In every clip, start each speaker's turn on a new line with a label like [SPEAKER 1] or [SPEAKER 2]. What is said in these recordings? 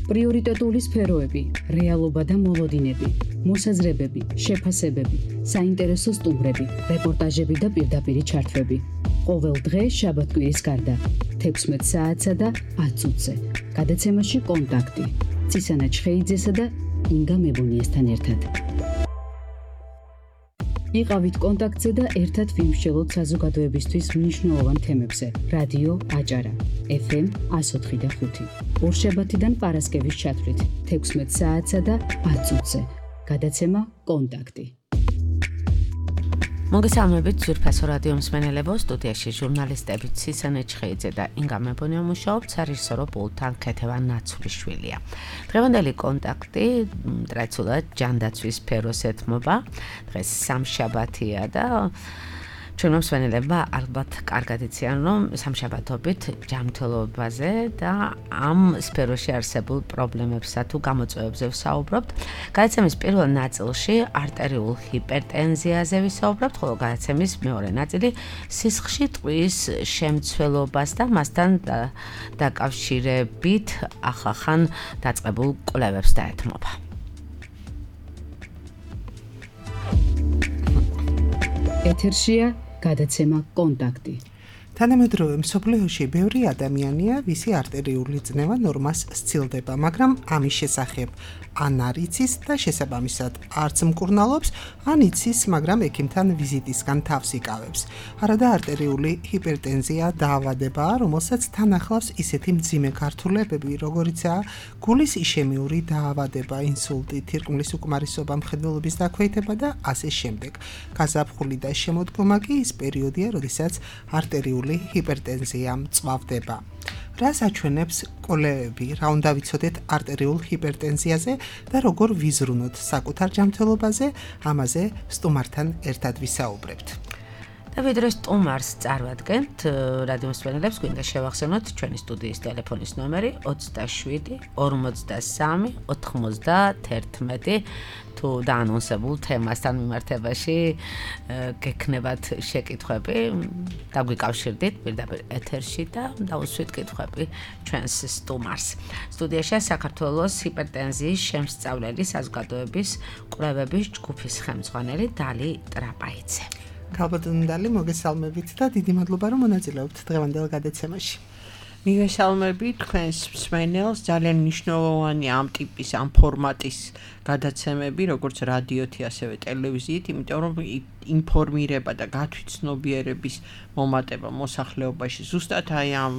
[SPEAKER 1] პრიორიტეტული სფეროები, რეალობა და მოლოდინები, მოსაზრებები, შეფასებები, საინტერესო სტუმრები, რეპორტაჟები და პირდაპირი ჩართვები. ყოველ დღე შაბათ-კვირის გარდა 16 საათსა და 10 წუთზე. გადაცემაში კონტაქტი. ცისანა ჩხეიძესა და ინგა მებონიესთან ერთად. იყავით კონტაქტზე და ერთად ვიმსჯელოთ საზოგადოებისთვის მნიშვნელოვან თემებზე. რადიო აჭარა, FM 104 და 5. ორშაბათიდან პარასკევის ჩათვლით 16 საათსა და 10 წუთზე. გადაცემა კონტაქტი.
[SPEAKER 2] მოგესალმებით ძვირფასო რადიო მსმენელებო, სტუდიაში ჟურნალისტები ცისანა ჩხეიძე და ინგა მებონია მუშაობთ, სარეჟისორო პულტთან ქეთევან ნაცვლიშვილია. დღევანდელი კონტაქტი ტრადიციულად ჯანდაცვის სფეროს ეთმობა. დღეს სამშაბათია და ჩვენ მსმენელებმა ალბათ კარგად იციან, რომ სამშაბათობით ჯანმრთელობაზე და ამ სფეროში არსებულ პრობლემებსა თუ გამოწვევებზე ვსაუბრობთ. გადაცემის პირველ ნაწილში არტერიულ ჰიპერტენზიაზე ვისაუბრებთ, ხოლო გადაცემის მეორე ნაწილი სისხლში ტყვის შემცველობას და მასთან დაკავშირებით ახალ დაწყებულ კვლევებს დაეთმობა.
[SPEAKER 1] ეთერშია გადაცემა კონტაქტი.
[SPEAKER 3] თანამედროვე მსოფლიოში ბევრი ადამიანია, ვისი არტერიული წნევა ნორმას სცილდება, მაგრამ ამის შესახებ ან არ იცის და შესაბამისად არც მკურნალობს, ან იცის, მაგრამ ექიმთან ვიზიტისგან თავს იკავებს. არადა არტერიული ჰიპერტენზია დაავადებაა, რომელსაც თან ახლავს ისეთი მძიმე გართულებები, როგორიცაა გულის იშემიური დაავადება, ინსულტი, თირკმლის უკმარისობა, მხედველობის დაქვეითება და ასე შემდეგ. გაზაფხული და შემოდგომა კი ის პერიოდია, როდესაც არტერიული ჰიპერტენზია მწვავდება. რას აჩვენებს კვლევები, რა უნდა ვიცოდეთ არტერიულ ჰიპერტენზიაზე და როგორ ვიზრუნოთ საკუთარ ჯანმრთელობაზე, ამაზე სტუმართან ერთად ვისაუბრებთ.
[SPEAKER 2] და ვიდრე სტუმარს წარვადგენთ, რადიო მსმენელებს გვინდა შევახსენოთ ჩვენი სტუდიის ტელეფონის ნომერი 27 43 91 თუ დაანონსებულ თემასთან მიმართებაში გექნებათ შეკითხვები, დაგვიკავშირდით პირდაპირ ეთერში და დაუსვით კითხვები ჩვენს სტუმარს. სტუდიაში საქართველოს ჰიპერტენზიის შემსწავლელი საზოგადოების კვლევების ჯგუფის ხელმძღვანელი დალი ტრაპაიძე.
[SPEAKER 3] ქალბატონი, მოგესალმებით და დიდი მადლობა, რომ მონაწილეობთ დღევანდელ გადაცემაში.
[SPEAKER 4] მიგესალმებით თქვენს მსმენელს, ძალიან მნიშვნელოვანი ამ ტიპის, ამ ფორმატის გადაცემები, როგორც რადიოთი, ასევე ტელევიზიით, იმიტომ რომ ინფორმირება და გათვითცნობიერების მომატება მოსახლეობაში ზუსტად აი ამ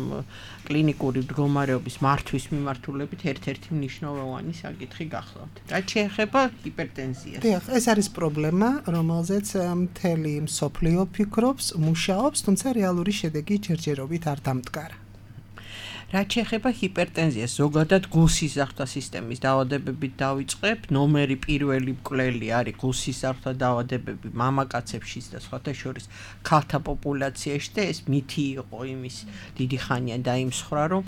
[SPEAKER 4] კლინიკური მდგომარეობის მართვის მიმართულებით ერთ-ერთი მნიშვნელოვანი საკითხი გახლავთ. რაც შეეხება ჰიპერტენზიას.
[SPEAKER 3] დიახ, ეს არის პრობლემა, რომელზეც მთელი მსოფლიო ფიქრობს, მუშაობს, თუმცა რეალური შედეგი ჯერჯერობით არ დამდგარა.
[SPEAKER 4] რაც შეეხება ჰიპერტენზიას, ზოგადად გულსისხლთა სისტემის დაავადებებით დავიწყებ. ნომერი პირველი მკვლელი არის გულსისხლთა დაავადებები მამაკაცებში და სხვათა შორის ქალთა პოპულაციაში და ეს მითი იყო იმის დიდი ხანია დაიმსხვრა, რომ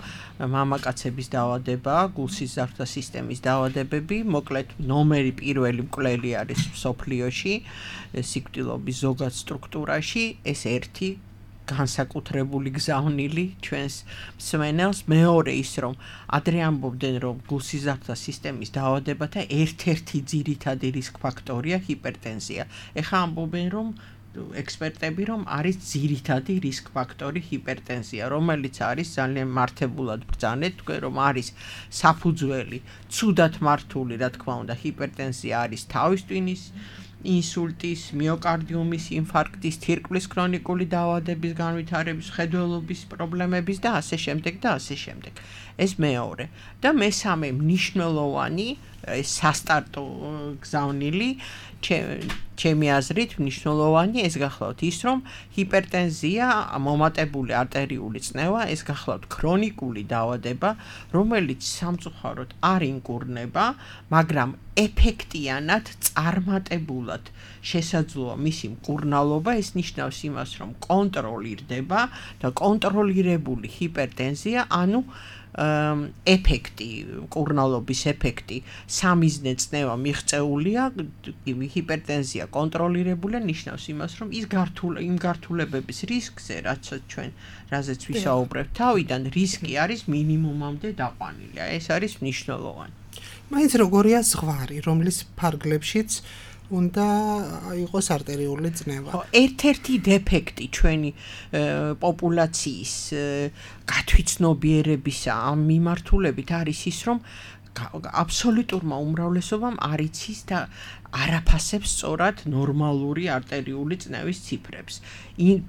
[SPEAKER 4] მამაკაცების დაავადებაა გულსისხლთა სისტემის დაავადებები. მოკლედ ნომერი პირველი მკვლელი არის მსოფლიოში სიკვდილობის ზოგად სტრუქტურაში, ეს ერთი განსაკუთრებული გზავნილი ჩვენს მსმენელს. მეორე ის, რომ ადრე ამბობდნენ, რომ გულსისხლთა სისტემის დაავადებათა ერთ-ერთი ძირითადი რისკ ფაქტორია ჰიპერტენზია. ეხლა ამბობენ, რომ ექსპერტები, რომ არის ძირითადი რისკ ფაქტორი ჰიპერტენზია, რომელიც არის ძალიან მართებულად ბრძანეთ, თქვენ რომ არის საფუძველი, ცუდად მართული, რა თქმა უნდა, ჰიპერტენზია არის თავის ტვინის ინსულტის, მიოკარდიუმის ინფარქტის, თირკმლის ქრონიკული დაავადების განვითარების, მხედველობის პრობლემების და ასე შემდეგ და ასე შემდეგ. ეს მეორე. და მესამე მნიშვნელოვანი სასტარტო გზავნილი ჩემი აზრით მნიშვნელოვანი ეს გახლავთ ის, რომ ჰიპერტენზია, მომატებული არტერიული წნევა, ეს გახლავთ ქრონიკული დაავადება, რომელიც სამწუხაროდ არ ინკურნება, მაგრამ ეფექტიანად წარმატებულად შესაძლოა მისი მკურნალობა. ეს ნიშნავს იმას, რომ კონტროლირდება და კონტროლირებული ჰიპერტენზია, ანუ ეფექტი, მკურნალობის ეფექტი სამიზნე წნევა მიღწეულია, ჰიპერტენზია კონტროლირებულია, ნიშნავს იმას, რომ ის იმ გართულებების რისკზე, რაზეც ვისაუბრებთ თავიდან, რისკი არის მინიმუმამდე დაყვანილი. ეს არის მნიშვნელოვანი.
[SPEAKER 3] მაინც როგორია ზღვარი, რომლის ფარგლებშიც უნდა იყოს არტერიული წნევა.
[SPEAKER 4] ერთ-ერთი დეფექტი ჩვენი პოპულაციის გათვითცნობიერებისა ამ მიმართულებით არის ის, რომ აბსოლუტურმა უმრავლესობამ არ იცის და არაფასებს სწორად ნორმალური არტერიული წნევის ციფრებს.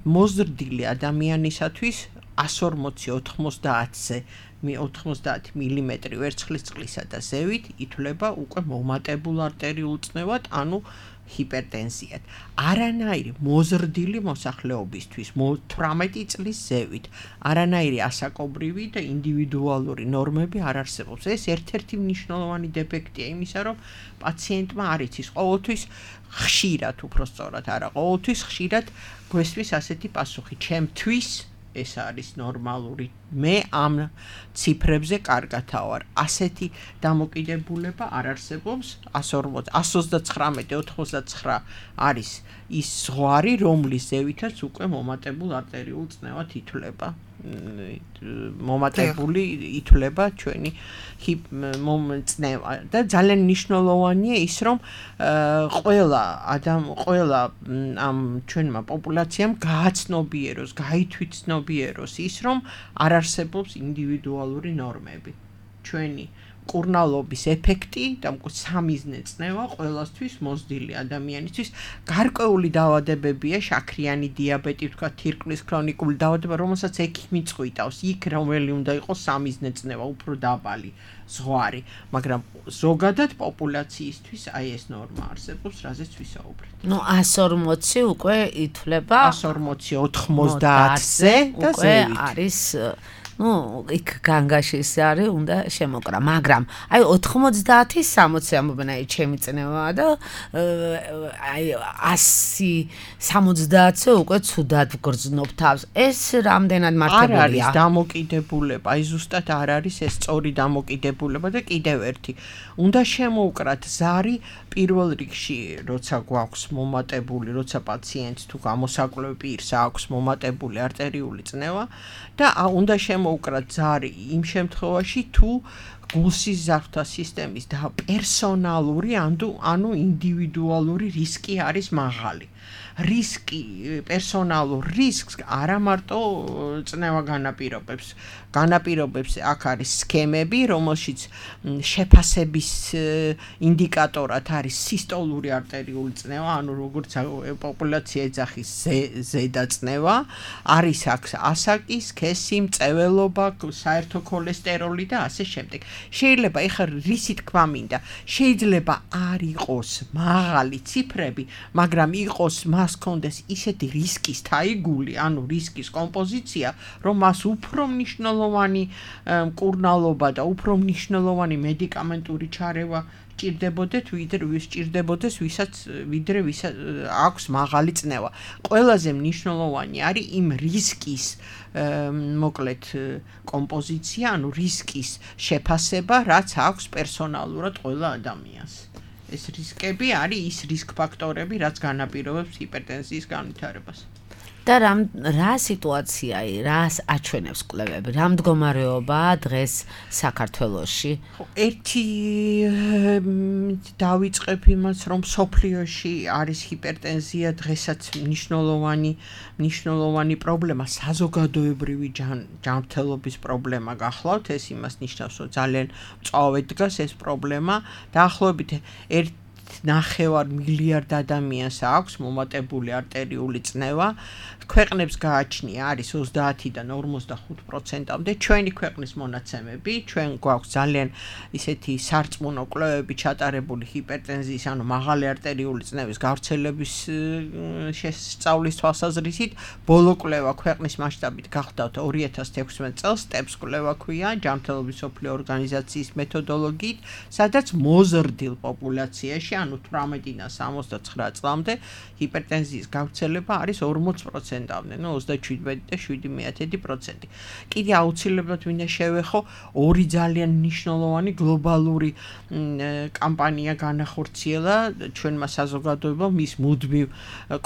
[SPEAKER 4] მოზრდილი ადამიანისათვის 140-90-ზე 90 მილიმეტრი ვერცხლის წყლისა და ზევით ითვლება უკვე მომატებულ არტერიულ წნევად, ანუ ჰიპერტენზიად. არანაირი მოზრდილი მოსახლეობისთვის 18 წლის ზევით არანაირი ასაკობრივი და ინდივიდუალური ნორმები არ არსებობს. ეს ერთ-ერთი მნიშვნელოვანი დეფექტია იმისა, რომ პაციენტმა არ იცის ყოველთვის ხშირად, უпростоრად არა, ყოველთვის ხშირად გვესმის ასეთი პასუხი, ჩემთვის ეს არის ნორმალური. მე ამ ციფრებზე კარგათა ვარ. ასეთი დამოკიდებულება არ არსებობს. 139-99 არის ის ზღვარი, რომლის ზევითაც უკვე მომატებულ არტერიულ წნევად ითვლება. მომატებული ითვლება ჩვენი წნევა და ძალიან მნიშვნელოვანია ის, რომ ყველა ამ ჩვენმა პოპულაციამ გააცნობიეროს, გაითვითცნობიეროს ის, რომ არ არსებობს ინდივიდუალური ნორმები. ჩვენი მკურნალობის ეფექტი და სამიზნე წნევა ყველასთვის მოზრდილი ადამიანისთვის გარკვეული დაავადებებია, შაქრიანი დიაბეტი, თქვა თირკმლის ქრონიკული დაავადება, რომელსაც ექიმი წყვიტავს, იქ რომელი უნდა იყოს სამიზნე წნევა, უფრო დაბალი ზღვარი, მაგრამ ზოგადად პოპულაციისთვის აი ეს ნორმა არსებობს, რაზეც ვისაუბრეთ.
[SPEAKER 2] 140 უკვე ითვლება
[SPEAKER 4] 140-90-ზე და ზევით
[SPEAKER 2] არის იქ განგაშის არის უნდა შემოკრა, მაგრამ აი 90-60 ამბობენ ჩემი წნევაა და აი 100-70-ზე უკვე ცუდად გრძნობ თავს. ეს რამდენად მართებელია?
[SPEAKER 4] არ არის დამოკიდებულება, აი ზუსტად არ არის ეს სწორი დამოკიდებულება და კიდევ ერთი. უნდა შემოვკრათ ზარი პირველ რიგში, როცა გვაქვს მომატებული, როცა პაციენტს თუ გამოსაკლებ პირს აქვს მომატებული არტერიული წნევა და უნდა შემოვკრათ ზარი იმ შემთხვევაში, თუ გულსიზარდთა სისტემის და პერსონალური, ანუ ინდივიდუალური რისკი არის მაღალი. რისკი, პერსონალურ რისკს არა მარტო წნევა განაპირობებს, აქ არის სქემები, რომელშიც შეფასების ინდიკატორად არის სისტოლური არტერიული წნევა, ანუ როგორც პოპულაცია ეძახის ზედა წნევა, არის აქ ასაკი, სქესი, მწვერვალობა, საერთო ქოლესტეროლი და ასე შემდეგ. შეიძლება ეხლა რისი თქვა მინდა, შეიძლება არ იყოს მაღალი ციფრები, მაგრამ იყოს მას კონდეს ისეთი რისკის თაიგული, ანუ რისკის კომპოზიცია, რომ მას უფრო მნიშვნელოვანი მკურნალობა და უფრო მნიშვნელოვანი მედიკამენტური ჩარევა ჭირდებოდეთ, ვიდრე ვისაც აქვს მაღალი წნევა. ყველაზე მნიშვნელოვანი არის იმ რისკის მოკლედ კომპოზიცია, ანუ რისკის შეფასება, რაც აქვს პერსონალურად ყველა ადამიანს. ეს რისკები არის ის რისკ ფაქტორები, რაც განაპირობებს ჰიპერტენზიის განვითარებას.
[SPEAKER 2] და რა სიტუაციაა, რას აჩვენებს კვლევები? რა მდგომარეობაა დღეს საქართველოში?
[SPEAKER 4] ერთი დავიწყებ იმას, რომ სოფლიოში არის ჰიპერტენზია დღესაც მნიშვნელოვანი პრობლემა, საზოგადოებრივი ჯანმრთელობის პრობლემა გახლავთ, ეს იმას ნიშნავს, რომ ძალიან მწვავედ დგას ეს პრობლემა. დაახლოებით 1.5 მილიარდ ადამიანს აქვს მომატებული არტერიული წნევა. ქვეყნებს გააჩნია არის 30-დან 45%-მდე ჩვენი ქვეყნის მონაცემები, ჩვენ გვაქვს ძალიან ისეთი სარწმუნო კვლევები ჩატარებული ჰიპერტენზიის, ანუ მაღალი არტერიული წნევის გავრცელების შესწავლის თვალსაზრისით. ბოლო კვლევა ქვეყნის მასშტაბით გახდათ 2016 წელს, STEPS კვლევა ქვია, ჯანმრთელობის მსოფლიო ორგანიზაციის მეთოდოლოგიით, სადაც მოზრდილ პოპულაციაში, ანუ 18-დან 69 წლამდე ჰიპერტენზიის გავრცელება არის 40%-ამდე, 37.7%. კიდე აუცილებლად მინდა შევეხო ორი ძალიან მნიშვნელოვანი გლობალური კამპანია განახორციელა ჩვენმა საზოგადოებამ მის მუდმივ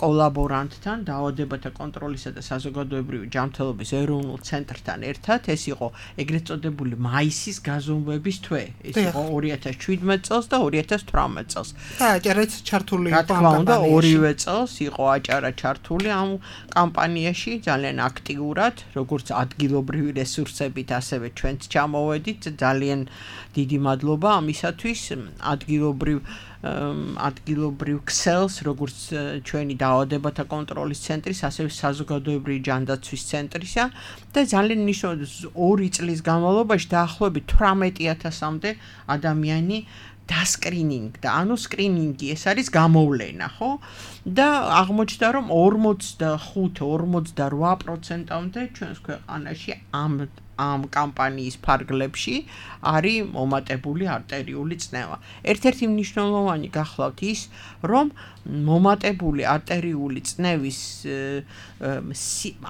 [SPEAKER 4] კოლაბორანტთან, დაავადებათა კონტროლისა და საზოგადოებრივი ჯანმრთელობის ეროვნულ ცენტრთან ერთად. ეს იყო ეგრეთ წოდებული მაისის გაზომვების თვე. ეს იყო 2017 წელს და 2018 წელს.
[SPEAKER 3] და აჭარაც ჩართული
[SPEAKER 4] იყო ამ კამპანიაში. ორივე წელს იყო აჭარა ჩართული ამ კამპანიაში ძალიან აქტიურად, როგორც ადგილობრივი რესურსებით, ასევე ჩვენც ჩამოვედით. ძალიან დიდი მადლობა ამისათვის. ადგილობრივ ქსელს, როგორც ჩვენი დაავადებათა კონტროლის ცენტრის, ასევე საზოგადოებრივი ჯანდაცვის ცენტრისა და ძალიან მნიშვნელოვანი 2 წლის განმავლობაში დაახლოებით 18,000-მდე ადამიანი დასკრინინგდა, ანუ სკრინინგი ეს არის გამოვლენა, ხო? და აღმოჩნდა, რომ 45-48%-მდე ჩვენს ქვეყანაში ამ კამპანიის ფარგლებში არის მომატებული არტერიული წნევა. ერთ-ერთი მნიშვნელოვანი გახლავთ ის, რომ მომატებული არტერიული წნევის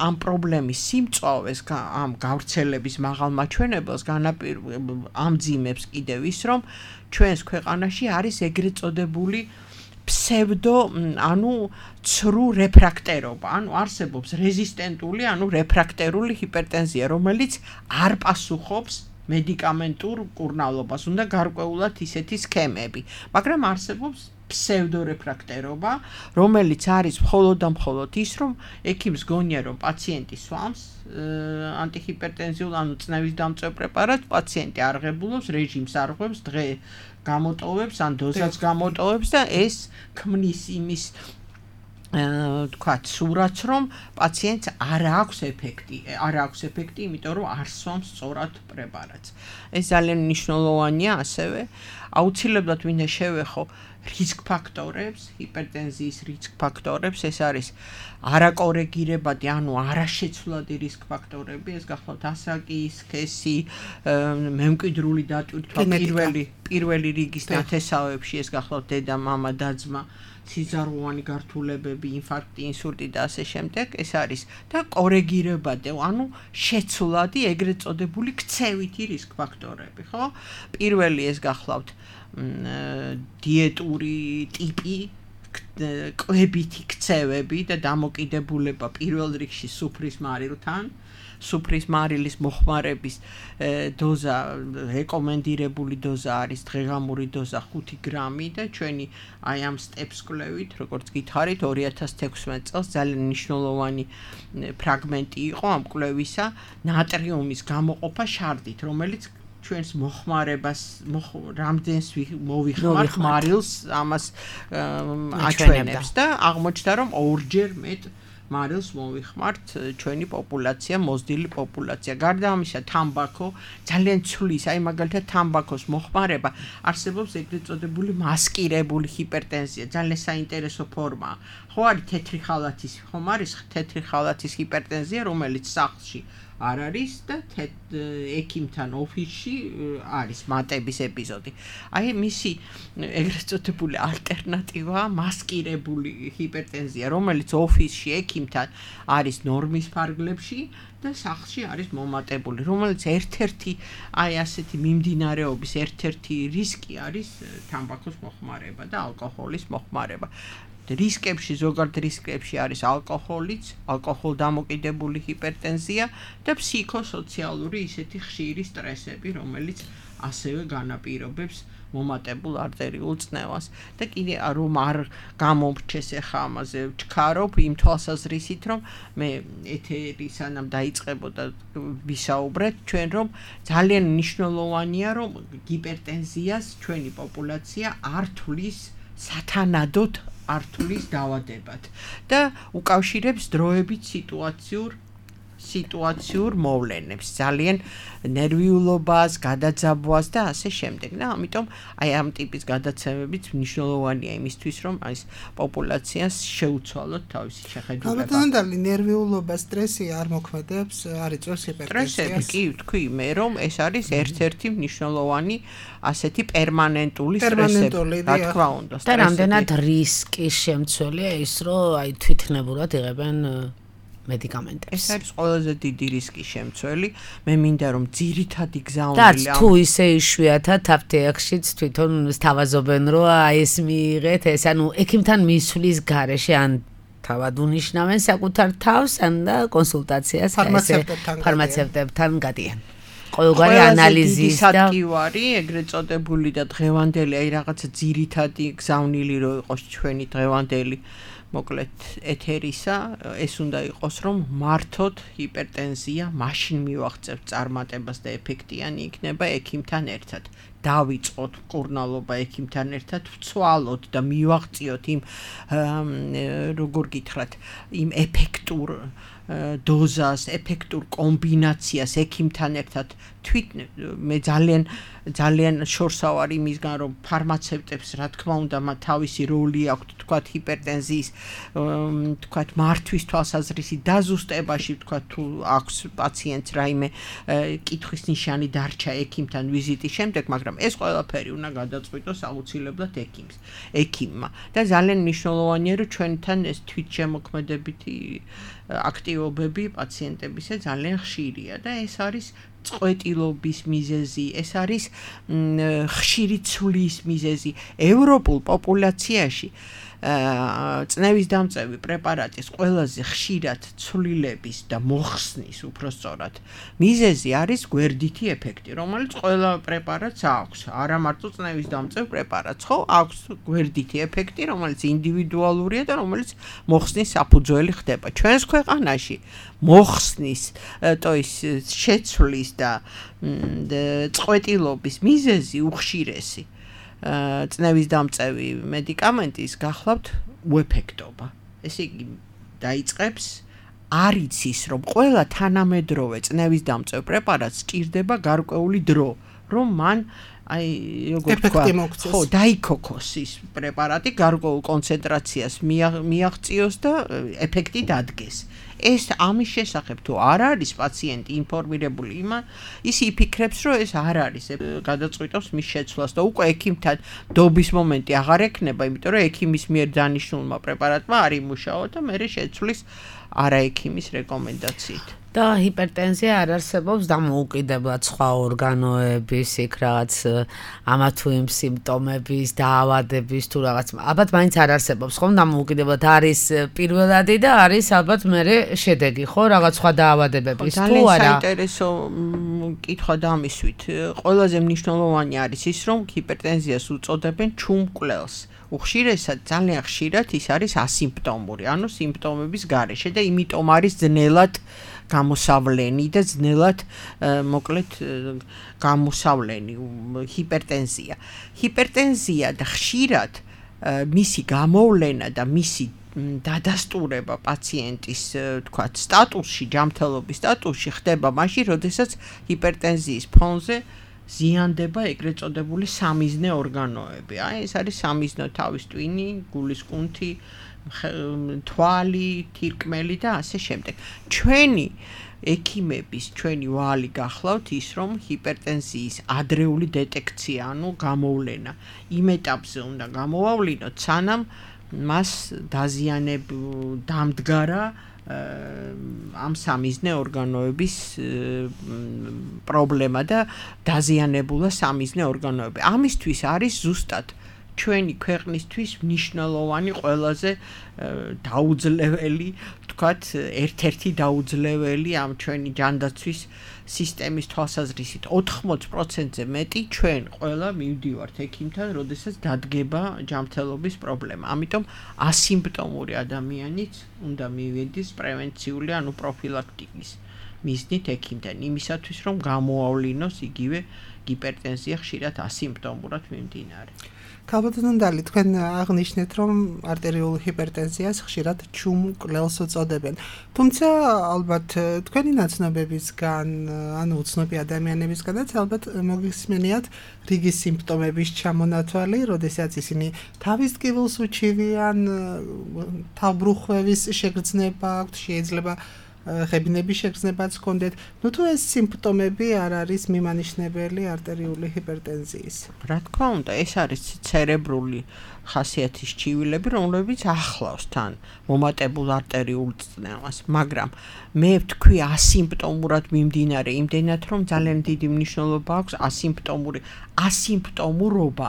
[SPEAKER 4] ამ პრობლემის სიმწვავეს, ამ გავრცელების მაღალ მაჩვენებელს ამძიმებს კიდევ ის, რომ ჩვენს ქვეყანაში არის ეგრეთ წოდებული ფსევდო, ანუ ცრუ რეფრაქტერობა, ანუ არსებობს რეზისტენტული, ანუ რეფრაქტერული ჰიპერტენზია, რომელიც არ პასუხობს მედიკამენტურ მკურნალობას, უნდა გარკვეულად ისეთი სქემები, მაგრამ არსებობს ფსევდორეფრაქტერობა, რომელიც არის მხოლოდ და მხოლოდ ის, რომ ექიმს გონია, რომ პაციენტი სვამს ანტიჰიპერტენზიულ, ანუ წნევის დამწვევ პრეპარატს, პაციენტი არღებულობს, რეჟიმს არღვევს, დღე გამოტოვებს, ან დოზას გამოტოვებს და ეს ქმნის იმის თქვათ სურათს, რომ პაციენტს არ აქვს ეფექტი, იმიტომ რომ არ სვამს სწორად პრეპარატს. ეს ძალიან მნიშვნელოვანია ასევე. აუცილებლად მინდა შევეხო რისკ ფაქტორებს, ჰიპერტენზიის რისკ ფაქტორებს, ეს არის არაკორეგირებადი, ანუ არაშეცვლადი რისკ ფაქტორები, ეს გახლავთ ასაკი, სქესი, მემკვიდრული დატვირთვა, პირველი რიგის ნათესავებში, ეს გახლავთ დედა, მამა, და-ძმა, სიზაროვანი გართულებები, ინფარქტი, ინსულტი და ასე შემდეგ, ეს არის და კორეგირებადი, ანუ შეცვლადი, ეგრეთ წოდებული ქცევითი რისკ ფაქტორები, ხო? პირველი ეს გახლავთ დიეტური ტიპი, კვებითი ქცევები და დამოკიდებულება პირველ რიგში სუფრის მარილთან. სუფრის მარილის მოხმარების დოზა, რეკომენდირებული დოზა არის დღეღამური დოზა 5 გრამი და ჩვენი აი ამ სტეპს კლევით, როგორც გითხარით, 2016 წელს ძალიან მნიშვნელოვანი ფრაგმენტი იყო ამ კვლევისა, ნატრიუმის გამოყოფა შარდით, რომელიც ჩვენს მოხმარებას რამდენს მოვიხმართ მარილს ამას აჩვენებს და აღმოჩნდა, რომ 2-ჯერ მეტ მარილს მოვიხმართ ჩვენი პოპულაცია, მოზრდილი პოპულაცია. გარდა ამისა, თამბაქო ძალიან ცვლის, აი მაგალითად თამბაქოს მოხმარება არსებობს ეგრეთ წოდებული მასკირებული ჰიპერტენზია, ძალიან საინტერესო ფორმაა. ხო არის თეთრი ხალათის, ხომ არის თეთრი ხალათის ჰიპერტენზია, რომელიც სახლში არ არის და ექიმთან ოფისში არის მატების ეპიზოდი. აი მისი ეგრეთ წოდებული ალტერნატივაა მასკირებული ჰიპერტენზია, რომელიც ოფისში ექიმთან არის ნორმის ფარგლებში და სახლში არის მომატებული, რომელიც ერთ-ერთი აი ასეთი მიმდინარეობის ერთ-ერთი რისკი არის თამბაქოს მოხმარება და ალკოჰოლის მოხმარება. რისკებში, ზოგადად რისკებში არის ალკოჰოლიც, ალკოჰოლდამოკიდებული ჰიპერტენზია და ფსიქოსოციალური ისეთი ხშირი სტრესები, რომელიც ასევე განაპირობებს მომატებულ არტერიულ წნევას. და კიდე რომ არ გამომრჩეს ახლა ამაზე ვჩქარობ იმ თვალსაზრისით, რომ მე ეთერი სანამ დაიწყებოდა ვისაუბრეთ ჩვენ, რომ ძალიან მნიშვნელოვანია, რომ ჰიპერტენზიას ჩვენი პოპულაცია არ თვლის სათანადოდ არ თვლის დაავადებად და უკავშირებს დროებით სიტუაციურ სიტუაციურ მოვლენებს, ძალიან ნერვიულობას, გადაძაბვას და ასე შემდეგ. და ამიტომ აი ამ ტიპის გადაცემებიც მნიშვნელოვანია იმისთვის, რომ აი პოპულაციას შეუცვალოთ თავისი შეხედულება.
[SPEAKER 3] ალბათ ნერვიულობა, სტრესი არ მოქმედებს, არ იწვევს ჰიპერტენზიას.
[SPEAKER 4] კი, თქვი მე, რომ ეს არის ერთ-ერთი მნიშვნელოვანი ასეთი პერმანენტული სტრესები, რა თქმა უნდა.
[SPEAKER 2] და რამდენად რისკის შემცველია ის, რომ აი თვითნებურად იღებენ მედიკამენტებს.
[SPEAKER 4] ეს არის ყველაზე დიდი რისკის შემცველი. მე მინდა რომ ძირითადი
[SPEAKER 2] და
[SPEAKER 4] გზავნილი
[SPEAKER 2] თუ ისე იშვიათად აფთიაქშიც თვითონ სთავაზობენ, რომ აი ეს მიიღეთ, ეს ანუ ექიმთან მისვლის გარეშე ან თავად უნიშნავენ საკუთარ თავს, ან და კონსულტაციას ფარმაცევტებთან გადიან. ყოველგვარი ანალიზის და
[SPEAKER 4] საკივარი, ეგრეთ წოდებული და დღევანდელი, აი რაღაცა ძირითადი გზავნილი რო იყოს ჩვენი დღევანდელი მოკლედ ეთერისა, ეს უნდა იყოს, რომ მართოთ ჰიპერტენზია, მაშინ მივაღწევთ წარმატებას და ეფექტიანი იქნება ექიმთან ერთად. დავიწყოთ მკურნალობა ექიმთან ერთად, ვცვალოთ და მივაღწიოთ იმ როგორ გითხრათ, იმ ეფექტურ დოზას, ეფექტურ კომბინაციას ექიმთან ერთად მე ძალიან შორსავარ იმისგან, რომ ფარმაცევტებს რა თქმა უნდა თავისი როლი აქვთ, თქვათ ჰიპერტენზიის, თქვათ მართვის თვალსაზრისი დაზუსტებაში, თქვათ თუ აქვს პაციენტს რაიმე კითხვის ნიშანი დარჩა ექიმთან ვიზიტის შემდეგ, მაგრამ ეს ყველაფერი უნდა გადაწყვიტოს აუცილებლად ექიმმა. და ძალიან მნიშვნელოვანია, რომ ჩვენთან ეს თვითშემოქმედებითი აქტივობები პაციენტებისა ძალიან ხშირია და ეს არის წყვეტილობის მიზეზი, ეს არის ხშირი ცვლის მიზეზი. ევროპულ პოპულაციაში წნევის დამწევი პრეპარატის ყველაზე ხშირად ცვლილების და მოხსნის უпростоრად მიზეზი არის გვერდითი ეფექტი, რომელიც ყველა პრეპარატს აქვს. არა მარტო წნევის დამწევ პრეპარატს, ხო, აქვს გვერდითი ეფექტი, რომელიც ინდივიდუალურია და რომელიც მოხსნის საფუძველი ხდება. ჩვენს ქვეყანაში მოხსნის, შეცვლის და წყვეტილობის მიზეზი უხშირესი წნევის დამწევი მედიკამენტის გახლავთ უეფექტობა. ესე იგი დაიწყებს არ იცის, რომ ყველა თანამედროვე წნევის დამწევ პრეპარატს სჭირდება გარკვეული დრო, რომ მან აი როგორ თქვა, ხო, დაიქოქოს ის პრეპარატი გარკვეულ კონცენტრაციას მიაღწიოს და ეფექტი დადგეს. ეს ამის შესახებ თუ არ არის პაციენტი ინფორმირებული, ის იფიქრებს, რომ ეს არ არის, გადაწყვიტავს მის შეცვლას და უკვე ექიმთან დობის მომენტი აღარ ექნება, იმიტომ რომ ექიმის მიერ დანიშნულმა პრეპარატმა არ იმუშაო და მერე შეცვლის არა ექიმის რეკომენდაციით.
[SPEAKER 2] და ჰიპერტენზია არ არსებობს დამოუკიდებლად სხვა ორგანოების, იქ რაღაც ამა თუ იმ სიმპტომების, დაავადების თუ რაღაც. ალბათ მაინც არ არსებობს, ხომ დამოუკიდებლად არის პირველადი და არის ალბათ მერე შედეგი, ხო, რაღაც სხვა დაავადებების თუ არა.
[SPEAKER 4] ძალიან საინტერესო კითხვა დამისვით. ყველაზე მნიშვნელოვანი არის ის, რომ ჰიპერტენზიას უწოდებენ ჩუმკვლელს. უხშირესად, ძალიან ხშირად ის არის ასიმპტომური, ანუ სიმპტომების გარეშე და იმიტომ არის ძნელად გამოსავლენი და ძნელად მოკლედ გამოსავლენი ჰიპერტენზია. ჰიპერტენზია და ხშირად მისი გამოვლენა და მისი დადასტურება პაციენტის თქვათ სტატუსში, ჯანმრთელობის სტატუსში ხდება მაშინ, როდესაც ჰიპერტენზიის ფონზე ზიანდება ეგრეთ წოდებული სამიზნე ორგანოები. აი ეს არის სამიზნო თავის ტვინი, გულის კუნთი, თვალი, თირკმელი და ასე შემდეგ. ჩვენი ექიმების ჩვენი ვალი გახლავთ ის, რომ ჰიპერტენზიის ადრეული დეტექცია, ანუ გამოვლენა იმ ეტაპზე უნდა გამოვავლინოთ, სანამ მას დამდგარა ამ სამიზნე ორგანოების პრობლემა და დაზიანებულა სამიზნე ორგანოები. ამისთვის არის ზუსტად ჩვენი ქვეყნისთვის მნიშვნელოვანი ყველაზე დაუძლეველი, თქვათ, ერთ-ერთი დაუძლეველი ამ ჩვენი ჯანდაცვის სისტემის თვალსაზრისით 80%-ზე მეტი ჩვენ ყველა მივდივართ ექიმთან, როდესაც დადგება ჯანმრთელობის პრობლემა. ამიტომ ასიმპტომური ადამიანიც უნდა მივიდეს პრევენციული, ანუ პროფილაქტიკის მიზნით ექიმთან, იმისათვის რომ გამოავლინოს იგივე ჰიპერტენზია ხშირად ასიმპტომურად მიმდინარე.
[SPEAKER 3] ქალბატონდალი, თქვენ აღნიშნეთ, რომ არტერიული ჰიპერტენზიას ხშირად ჩუმ მკვლელს უწოდებენ. თუმცა ალბათ თქვენი ნაცნობებისგან, ანუ უცნობი ადამიანებისგანაც ალბათ მოგისმენიათ რიგი სიმპტომების ჩამონათვალი, როდესაც ისინი თავის ტკივილს უჩივიან, თავბრუხვევის შეგრძნება აქვთ, შეიძლება ღებინების შეგრძნებაც ჰქონდეთ. ნუ თუ ეს სიმპტომები არ არის მიმანიშნებელი არტერიული ჰიპერტენზიის.
[SPEAKER 4] რა თქმა უნდა, ეს არის ცერებრული ხასიათის ჩივილები, რომლებიც ახლავს თან მომატებულ არტერიულ წნევას, მაგრამ მე ვთქვი ასიმპტომურად მიმდინარე, იმდენად რომ ძალიან დიდი მნიშვნელობა აქვს ასიმპტომურობა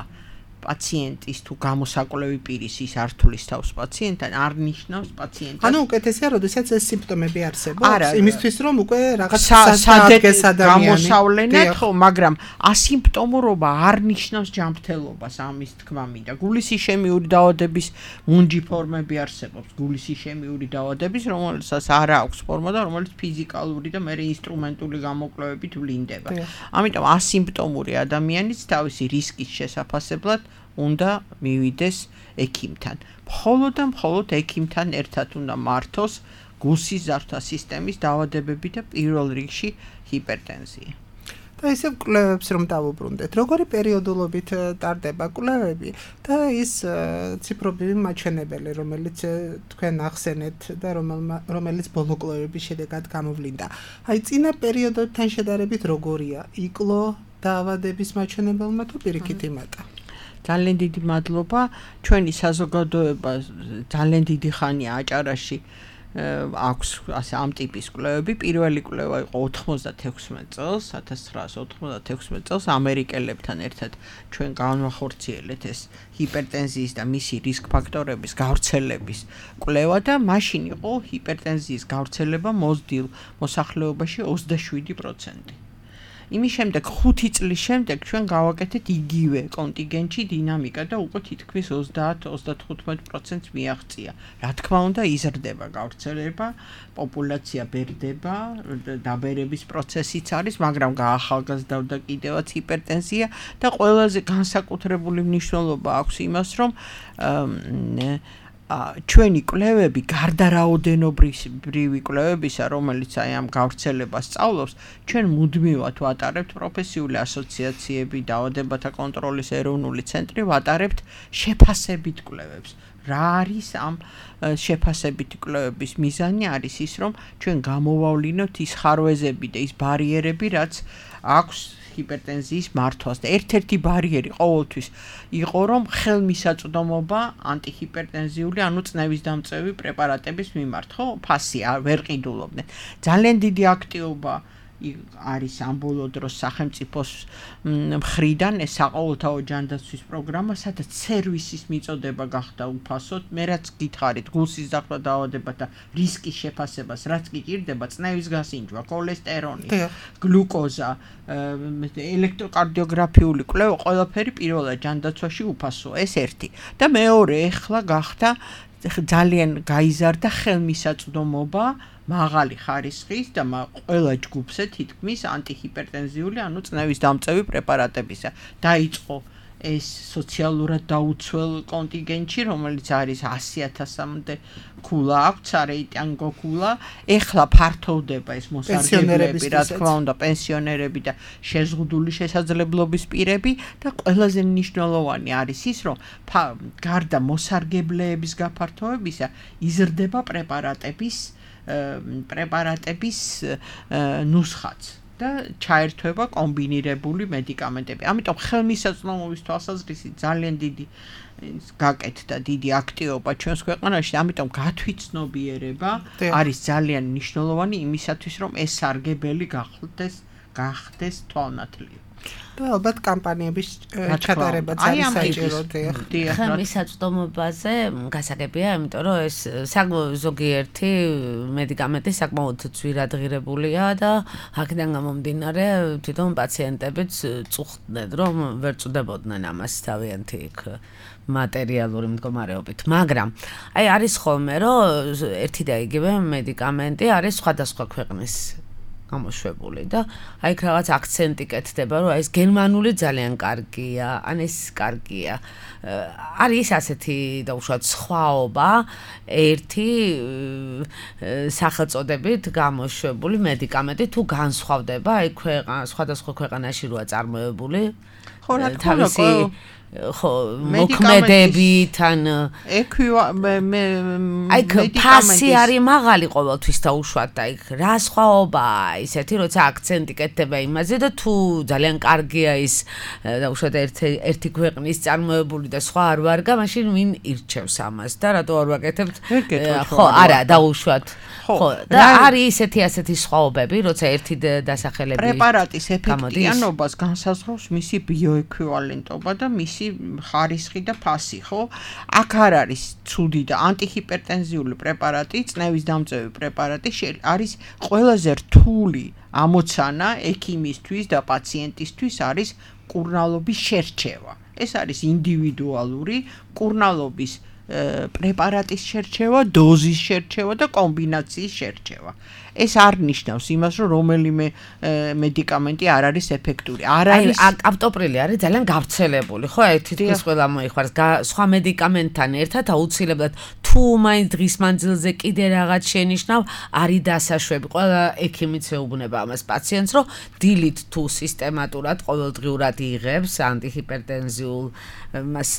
[SPEAKER 4] პაციენტის თუ გამოსაკვლევი პირის ის არ თulis თავს პაციენტთან, არ ნიშნავს პაციენტს.
[SPEAKER 3] ანუ უკეთესია, როდესაც ეს სიმპტომები არსებობს,
[SPEAKER 4] არა,
[SPEAKER 3] იმისთვის რომ უკვე რაღაც სადაგეს ადამიანი
[SPEAKER 4] გამოსავლენად ხო, მაგრამ ასიმპტომურობა არ ნიშნავს ჯანმრთელობას, ამის თქმა მინდა. გულისიშემიური დაავადების მუნჯი ფორმები არსებობს, გულისიშემიური დაავადების, რომელსაც არ აქვს ფორმა და რომელიც ფიზიკალური და მერე ინსტრუმენტული გამოკვლევებით ვლინდება. ამიტომ ასიმპტომური ადამიანიც თავისი რისკის შესაფასებლად უნდა მივიდეს ექიმთან. მხოლოდ და მხოლოდ ექიმთან ერთად უნდა მართოს გულსის ზარდთა სისტემის დაავადებები და პირველ რიგში ჰიპერტენზია. და ისევ კვლევებს რომ დავუბრუნდეთ, როგორი პერიოდულობით ტარდება კვლევები და ის ციფრობრივი მაჩვენებელი, რომელიც თქვენ ახსენეთ და რომელიც ბოლო კვლევების შედეგად გამოვლინდა. აი წინა პერიოდებთან შედარებით როგორია? იკლო დაავადების მაჩვენებელმა თუ პირიქით იმატა? ძალიან დიდი მადლობა. ჩვენი საზოგადოება ძალიან დიდი ხანია აჭარაში აქვს ასე ამ ტიპის კვლევები. პირველი კვლევა იყო 96 წელს, 1996 წელს ამერიკელებთან ერთად ჩვენ განვახორციელეთ ეს ჰიპერტენზიის და მისი რისკ ფაქტორების გავრცელების კვლევა და მაშინ იყო ჰიპერტენზიის გავრცელება მოზრდილ მოსახლეობაში 27%. იმის შემდეგ 5 წლის შემდეგ ჩვენ გავაკეთეთ იგივე კონტინგენტში დინამიკა და უკვე თითქმის 30-35% მიაღწია. რა თქმა უნდა, იზრდება გავრცელება, პოპულაცია ბერდება, დაბერების პროცესიც არის, მაგრამ გაახალგაზრდავდა კიდევაც ჰიპერტენზია და ყველაზე განსაკუთრებული მნიშვნელობა აქვს იმას, რომ ჩვენი კვლევები გარდა რაოდენობრივი კვლევებისა, რომელიც აი ამ გავრცელებას სწავლობს, ჩვენ მუდმივად ვატარებთ პროფესიული ასოციაციები, დაავადებათა კონტროლის ეროვნული ცენტრი ვატარებთ შეფასებით კვლევებს. რა არის ამ შეფასებითი კვლევების მიზანი? არის ის, რომ ჩვენ გამოვავლინოთ ის ხარვეზები და ის ბარიერები, რაც აქვს ჰიპერტენზიის მართვას და ერთ-ერთი ბარიერი ყოველთვის იყო, რომ ხელმისაწვდომობა ანტიჰიპერტენზიული, ანუ წნევის დამწევი პრეპარატების მიმართ, ხო, ფასი ვერ ყიდულობდნენ. ძალიან დიდი აქტივობა არის ამ ბოლო დროს სახელმწიფოს მხრიდან ეს საყოველთაო ჯანდაცვის პროგრამა, სადაც სერვისის მიწოდება გახდა უფასოდ. მე რაც გითხარით, გულსის ზარდთა დაავადებათა რისკის შეფასებას, რაც კი ჭირდება, წნევის გასინჯვა, ქოლესტერონი, გლუკოზა, ელექტროკარდიოგრაფიული კვლევა, ყველაფერი პირველად ჯანდაცვაში უფასოა. ეს ერთი. და მეორე, ეხლა გახდა ძალიან გაიზარდა ხელმისაწვდომობა მაღალი ხარისხის და ყველა ჯგუფზე თითქმის ანტიჰიპერტენზიული, ანუ წნევის დამწევი პრეპარატებისა. დაიწყო ეს სოციალურად დაუცველ კონტინგენტში, რომელიც არის 100,000-მდე ქულა აქვს,არეიტანგო ქულა. ეხლა ფართოვდება ეს მოსარგებლეები, რა თქმა უნდა, პენსიონერები და შეზღუდული შესაძლებლობის პირები და ყველაზე მნიშვნელოვანი არის ის, რომ გარდა მოსარგებლეების გაფართოებისა, იზრდება პრეპარატების ნუსხაც და ჩაერთვება კომბინირებული მედიკამენტები. ამიტომ ხელმისაწვდომობის თვალსაზრისით ძალიან დიდი გაკეთდა დიდი აქტივობა ჩვენს ქვეყანაში, ამიტომ გათვითცნობიერება არის ძალიან მნიშვნელოვანი იმისათვის, რომ ეს სარგებელი გახდეს თვალნათლივი.
[SPEAKER 3] და ალბათ კამპანიების ჩატარებაც არის საჭირო.
[SPEAKER 2] ხელმისაწვდომობაზე გასაგებია, იმიტომ რომ ეს ზოგიერთი მედიკამენტი საკმაოდ ძვირადღირებულია და აქედან გამომდინარე თვითონ პაციენტებიც წუხდნენ, რომ ვერ წვდებოდნენ ამას თავიანთი მატერიალური მდგომარეობით. მაგრამ არის ხოლმე, რომ ერთი და იგივე მედიკამენტი არის სხვადასხვა ქვეყნის გამოშვებული და აი იქ რაღაც აქცენტი კეთდება, რომ ეს გერმანული ძალიან კარგია, ან ეს კარგია. არის ასეთი დაუშვათ სხვაობა ერთი სახელწოდებით გამოშვებული მედიკამენტი თუ განსხვავდება აი სხვადასხვა ქვეყანაში როა წარმოებული
[SPEAKER 4] ხო რა თქმა უნდა
[SPEAKER 2] ხო მოქმედებით ან აი ფასი არის მაღალი ყოველთვის დაუშვათ და იქ რა სხვაობაა ისეთი როცა აქცენტი კეთდება იმაზე და თუ ძალიან კარგია ის დაუშვათ ერთი ქვეყნის წარმოებული და სხვა არ ვარგა მაშინ ვინ ირჩევს ამას და რატო არ ვაკეთებთ ხო არა დაუშვათ ხო და არის ასეთი სხვაობები როცა ერთი დასახელების
[SPEAKER 4] პრეპარატის ეფექტიანობას განსაზღვრავს მისი ბიოეკვივალენტობა და მისი ხარისხი და ფასი, ხო? აქ არ არის ცუდი და ანტიჰიპერტენზიული პრეპარატი, წნევის დამწევი პრეპარატი არის ყველაზე რთული ამოცანა ექიმისთვის და პაციენტისთვის არის კურნალობის შერჩევა. ეს არის ინდივიდუალური კურნალობის პრეპარატის შერჩევა, დოზის შერჩევა და კომბინაციის შერჩევა. ეს არ ნიშნავს იმას, რომ რომელიმე მედიკამენტი არ არის ეფექტური. არ არის
[SPEAKER 2] აპტოპრილი არის ძალიან გავრცელებული, ხო? თითქოს ყველა მოიხარს. სხვა მედიკამენტთან ერთად აუცილებლად თუ მაინც დღის მანძილზე კიდე რაღაც შენიშნავ, არის დასაშვები. ყველა ექიმიც ეუბნება ამას პაციენტს, რომ დილით თუ სისტემატურად ყოველდღიურად იღებს ანტიჰიპერტენზიულ მას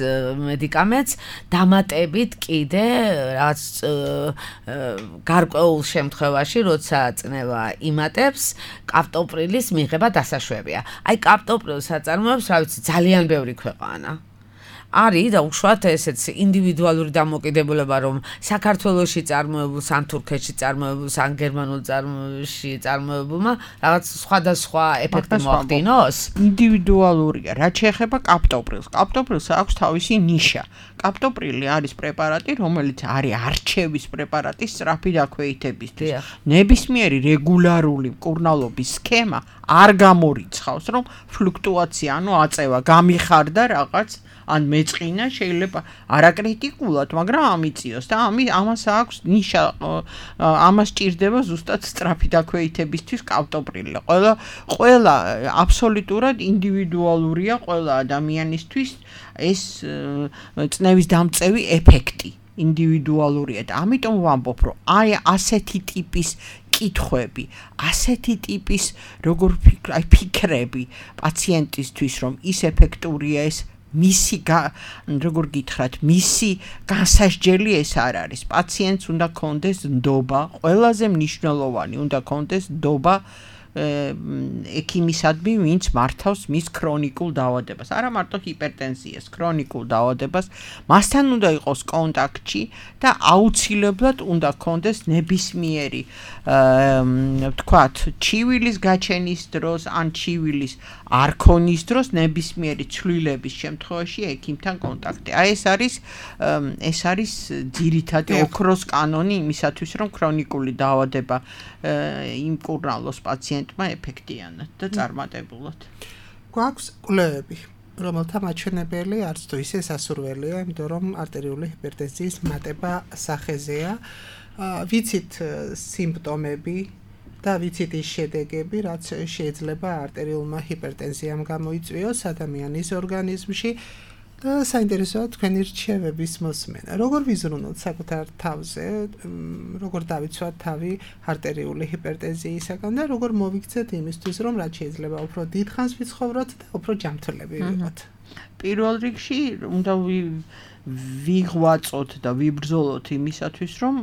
[SPEAKER 2] მედიკამენტს, დამატებით კიდე რაღაც გარკვეულ შემთხვევაში, როცა წნევა იმატებს, კაპტოპრილის მიღება დასაშვებია. აი კაპტოპრილს აწარმოებს, რა ვიცი, ძალიან ბევრი ქვეყანა. არის და უშუალოდ ესეც ინდივიდუალური დამოკიდებულება, რომ საქართველოში წარმოებულს, ან თურქეთში წარმოებულს, ან გერმანულ წარმოებულში წარმოებულმა რაღაც სხვადასხვა ეფექტი მოახდინოს?
[SPEAKER 4] ინდივიდუალურია. რაც შეეხება კაპტოპრილს. კაპტოპრილს აქვს თავისი ნიშა. კაპტოპრილი არის პრეპარატი, რომელიც არის არჩევის პრეპარატი სწრაფი დაქვეითებისთვის. ნებისმიერი რეგულარული მკურნალობის სქემა არ გამორიცხავს, რომ ფლუქტუაცია, ანუ აწევა გამიხარდა რაღაც ან მეწყინა შეიძლება არაკრიტიკულად, მაგრამ ამიწიოს და ამას აქვს ნიშა, ამას ჭირდება ზუსტად სწრაფი დაქვეითებისთვის კაპტოპრილი. ყველა აბსოლუტურად ინდივიდუალურია ყველა ადამიანისთვის ეს წნევის დამწევი ეფექტი ინდივიდუალურია და ამიტომ ვამბობ, რომ აი ასეთი ტიპის კითხვები, ასეთი ტიპის როგორ ფიქრები პაციენტისთვის, რომ ის ეფექტურია ეს მისი როგორ გითხრათ, მისი განსასჯელი ეს არ არის. პაციენტს უნდა კონდეს ნდობა, ყველაზე მნიშვნელოვანი უნდა კონდეს ნდობა ექიმისადმი, ვინც მართავს მის ქრონიკულ დაავადებას. არა მარტო ჰიპერტენზიას, ქრონიკულ დაავადებას. მასთან უნდა იყოს კონტაქტში და აუცილებლად უნდა კონდეს ნებისმიერი ვთქვათ, ჩივილის გაჩენის დროს ან ჩივილის არქონის დროს ნებისმიერი ცვლილების შემთხვევაში ექიმთან კონტაქტი. აი ეს არის ძირითადი ოქროს კანონი იმისათვის, რომ ქრონიკული დაავადება იმკურნალოს პაციენტმა ეფექტიანად და წარმატებულად.
[SPEAKER 3] გვაქვს კვლევები, რომელთა მაჩვენებელი არც თუ ისე სასურველია, იმიტომ რომ არტერიული ჰიპერტენზიის მატება სახეზეა. ვიცით სიმპტომები და ვიცით ის შედეგები, რაც შეიძლება არტერიულმა ჰიპერტენზიამ გამოიწვიოს ადამიანის ორგანიზმში და საინტერესოა თქვენი რჩევების მოსმენა. როგორ ვიზრუნოთ საკუთარ თავზე, როგორ დავიცვათ თავი არტერიული ჰიპერტენზიისაგან და როგორ მოვიქცეთ იმისთვის, რომ რაც შეიძლება უფრო დიდხანს ვიცხოვროთ და უფრო ჯანმრთელები ვიყოთ.
[SPEAKER 4] პირველ რიგში უნდა ვიღვაწოთ და ვიბრძოლოთ იმისათვის, რომ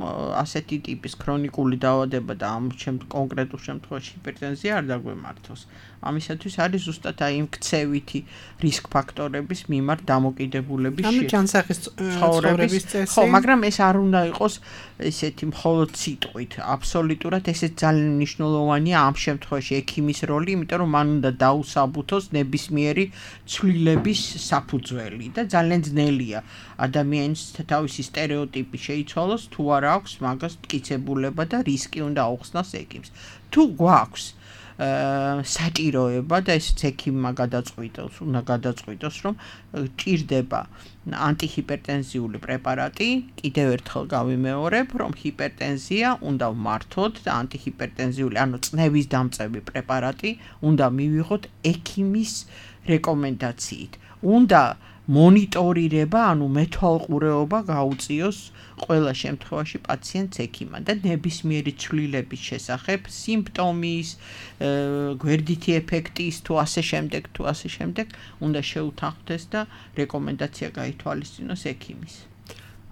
[SPEAKER 4] ასეთი ტიპის ქრონიკული დაავადება და ამ კონკრეტულ შემთხვევაში ჰიპერტენზია არ დაგვემართოს. ამისათვის არის ზუსტად აი იმ ქცევითი რისკ ფაქტორების მიმართ დამოკიდებულების
[SPEAKER 3] ჯანსაღის ცხოვრების წესი.
[SPEAKER 4] ხო, მაგრამ ეს არ უნდა იყოს ესეთი მხოლოდ სიტყვით. აბსოლუტურად ესეც ძალიან მნიშვნელოვანია ამ შემთხვევაში ექიმის როლი, იმიტომ რომ მან უნდა დაუსაბუთოს ნებისმიერი ცვლილების საფუძველი და ძალიან ძნელია ადამიანის თავისი სტერეოტიპი შეიცვალოს, თუ არა აქვს მაგას მტკიცებულება და რისკი უნდა აუხსნას ექიმს. თუ გვაქვს საჭიროება და ეს ექიმმა უნდა გადაწყვიტოს, რომ ჭირდება ანტიჰიპერტენზიული პრეპარატი, კიდევ ერთხელ გავიმეორებ, რომ ჰიპერტენზია უნდა ვმართოთ და ანტიჰიპერტენზიული, ანუ წნევის დამწევი პრეპარატი უნდა მივიღოთ ექიმის რეკომენდაციით. უნდა მონიტორირება, ანუ მეთვალყურეობა გაუწიოს ყველა შემთხვევაში პაციენტს ექიმად და ნებისმიერი ცვლილების შესახებ, სიმპტომის, გვერდითი ეფექტის თუ ასე შემდეგ, უნდა შეუთანხმდეს და რეკომენდაცია გაითვალისწინოს ექიმის.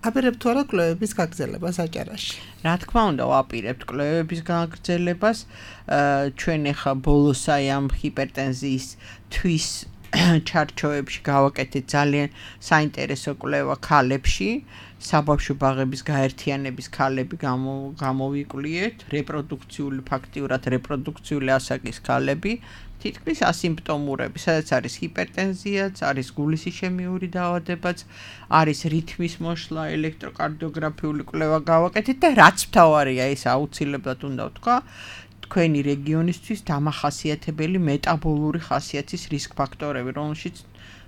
[SPEAKER 3] აპირებთ თუ არა კვლევების გაგრძელებას აჭარაში?
[SPEAKER 4] რა თქმა უნდა, ვაპირებთ კვლევების გაგრძელებას. ჩვენ ახლა ბოლოს ამ ჰიპერტენზიის თვის ჩარჩოებში გავაკეთეთ ძალიან საინტერესო კვლევა ქალებში, საბავშვო ბაღების გაერთიანების ქალები გამოვიკვლიეთ, ფაქტიურად რეპროდუქციული ასაკის ქალები, თითქმის ასიმპტომურები, სადაც არის ჰიპერტენზიაც, არის გულის ისემიური დაავადებაც, არის რითმის მოშლა, ელექტროკარდიოგრაფიული კვლევა გავაკეთეთ და რაც მთავარია, ეს აუცილებლად უნდა ვთქვა, თქვენი რეგიონისთვის დამახასიათებელი მეტაბოლური ხასიათის რისკ ფაქტორები, რომელშიც